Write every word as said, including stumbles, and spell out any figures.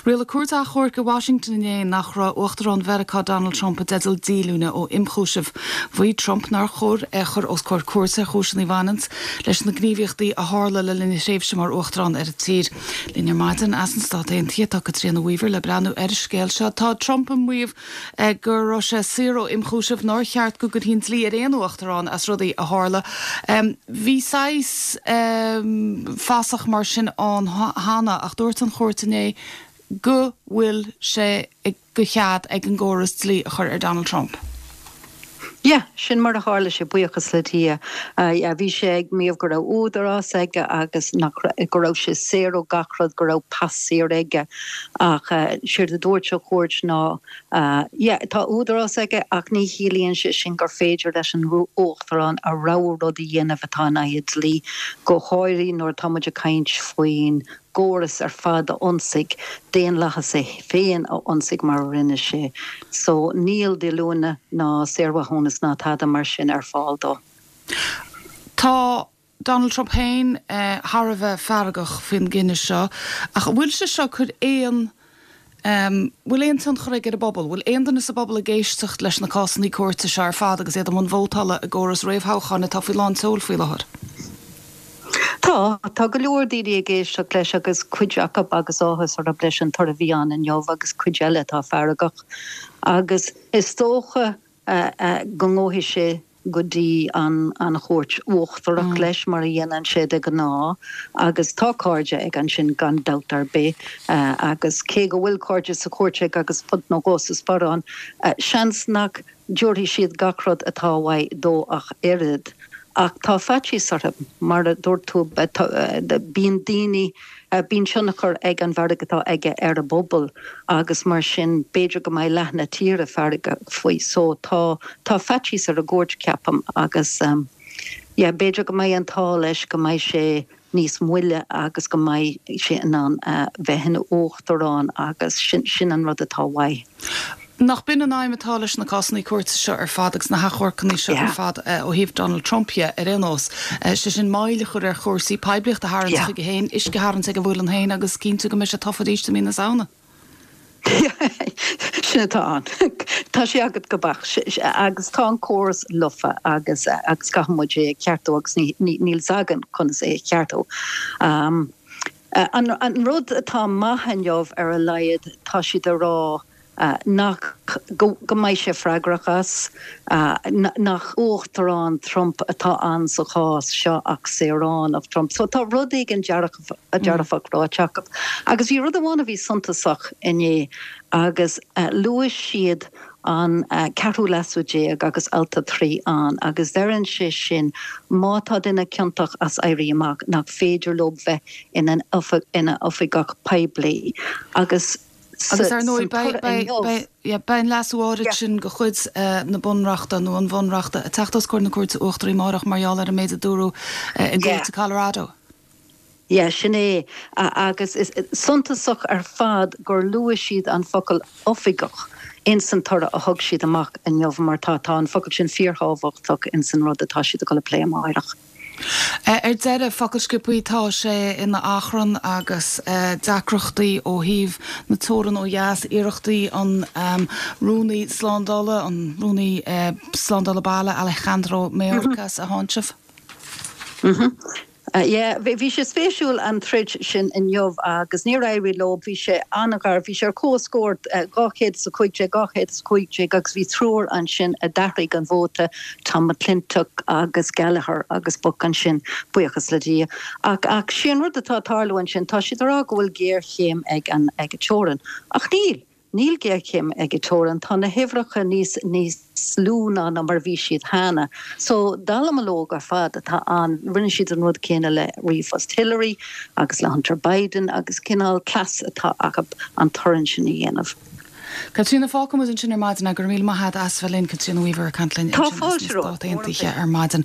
Rialaigh cúirt achomhairc i Washington inné nach raibh Uachtarán Mheiriceá Donald Trump i dteideal díolúine ó imchúiseamh. Mhaígh Trump nár chóir é a chur os comhair cúirte ar chúiseanna a bhaineann leis na gníomhaíochtaí a tharla le linn a thréimhse mar Uachtarán ar an tír. Linn ar maidin as na Stáit Aontaithe tá Caitríona Weaver le breathnú ar an scéal seo. Tá Trump ag maíomh eh, go raibh sé saor ó imchúiseamh nár cheart go gcuirfí an dlí ar aon uachtarán as rudaí a tharla. Um, bhí saghas um, fasach mar sin ann cheana ach dúirt an chúirt inné go bhfuil sé de chead ag an gcóras dlí a chur ar Donald Trump. Yeah, sin mar a tharla sé buíochas le Dia. Uh, yeah, bhí sé ag maíomh go raibh údarás aige agus nach go raibh sé saor ó gach rud go raibh pas saor aige ach uh, séard a dúirt an chúirt ná uh, yeah, tá údarás aige ach ní chiallaíonn sé sin gur féidir leis an uachtarán a rogha rud a dhéanamh atá in aghaidh dlí go háirithe nuair táimid ag caint faoin gcóras ar fad a ionsaí daonlathas é féin a ionsaí mar a rinne sé. So níl díolúine ná saormhaithiúnas ná tada mar sin ar fáil dó. Tá Donald Trump féin eh, thar a bheith feargach faoin gcinneadh seo ach bhfuil sé seo chun aon Um, bhfuil aon tionchar aige ar an bpobal, bhfuil aon duine sa bpobal ag éisteacht leis na cásanna cúirte seo ar fad agus iad i mbun vótála i gcóras réamhthoghcháin atá faoi lán tseoil faoi láthair. Tá tá go leor daoine ag éisteacht leis agus cuid acu agus áthas orthu leis an toradh a bhí ann inniu agus cuid eile atá feargach. Agus is dócha uh, uh, go ngabhfaidh sé go dtí an an chúirt uachtarach mm. leis mar a dhéanann sé de ghnáth agus tá cairde aige ansin gan dabht ar bith uh, agus cé go bhfuil cairde sa chúirt agus fud nó dhó sa sparán uh, seans nach dtabharfaidh siad gach rud atá uaidh dó ach oiread. Ach tá faitíos orthu mar a dúirt tú bíonn daoine bíonn tionchar ag an bhfearg atá aige ar an bpobal agus mar sin b'fhéidir go mbeidh leath na tíre feargach faoi so tá tá faitíos ar an gcúirt ceapaim agus um, yeah, b'fhéidir go mbeidh an t-ádh leis go mbeidh sé níos moille agus go mbeidh sé in ann uh, bheith ina uachtarán agus sin, sin an rud atá uaidh. Nach b'in an aidhm atá leis na cásanna cúirte seo ar fad agus na hachomharcanna seo ar fad uh, ó thaobh Donald Trump dhe ar aon nós. Uh, sé sin moill a chur ar chúrsaí poiblíocht a tharraingt chuige féin, uisce a tharraingt ag a mhuileann féin agus cinntiú go mbeidh sé tofa arís i mí na Samhna. Sin atá ann. Tá sé agat go beacht agus tá an córas lofa agus agus caithfidh muid é ceartú agus níl againn conas é ceartú. Um, an, an rud atá maith inniu ar a laghad tá siad ag rá uh, nach go, go mbeidh sé freagrach as uh, nach uachtarán Trump atá ann sa chás seo ach saoránach Trump. So tá rud éigin dearfach ráite acu. Agus bhí rud amháin a bhí suntasach inné agus uh, luaigh siad an uh, ceathrú leasú déag agus alt a trí ann, agus deireann sé sin má tá duine ciontach as éirí amach nach féidir leo bheith ina ina oifigeach poiblí. Agus Agus ar ndóigh beidh an leasú áirithe sin de chuid na bunreachta nó an bhunreachta ag teacht os comhair na cúirte uachtaraí amárach mar gheall ar an méid a dúradh i gcúirt Colorado. Ja, sin é agus is suntasach ar fad gur luaigh siad an focal oifigeach in san toradh a thug siad amach inniu mar tá tá an focal sin fíorthábhachtach in san rud atá siad ag dul a phlé amárach. Ar deireadh focal sciobtha tá sé ina achrann agus deacrachtaí ó thaobh na teorann ó dheas iarrachtaí an um, rúnaí slándála an rúnaí uh, slándála baile Alejandro Mayorkas a tháinseamh. Mm -hmm. Uh, yeah, bhí sé spéisiúil an troid sin inniu agus níor éirigh leo bhí sé an-ghar bhí sé ar comhscór uh, dhá chéad is a cúig déag dhá chéad is cúig déag agus bhí triúr ansin a d'athraigh an vóta Tom McClintock agus Gallagher agus Buck ansin buíochas le Dia. Ach ach sin rud atá ag tarlú ansin tá siad ag rá go bhfuil géarchéim ag an ag an teorainn. Ach níl. Níl géarchéim ag an teorainn tá na huimhreacha níos níos lú ná ná mar bhí siad cheana. So dallamullóg ar fad atá ann rinne siad an rud céanna le ríomhphost Hillary agus le Hunter Biden agus cineál cleas atá acu an torann sin a dhéanamh. Caitríona fágfaimid ansin ar maidin go raibh míle maith agat as bheith linn Caitríona Weaver ag caint linn Tá fáilte Stáit Aontaithe ar maidin.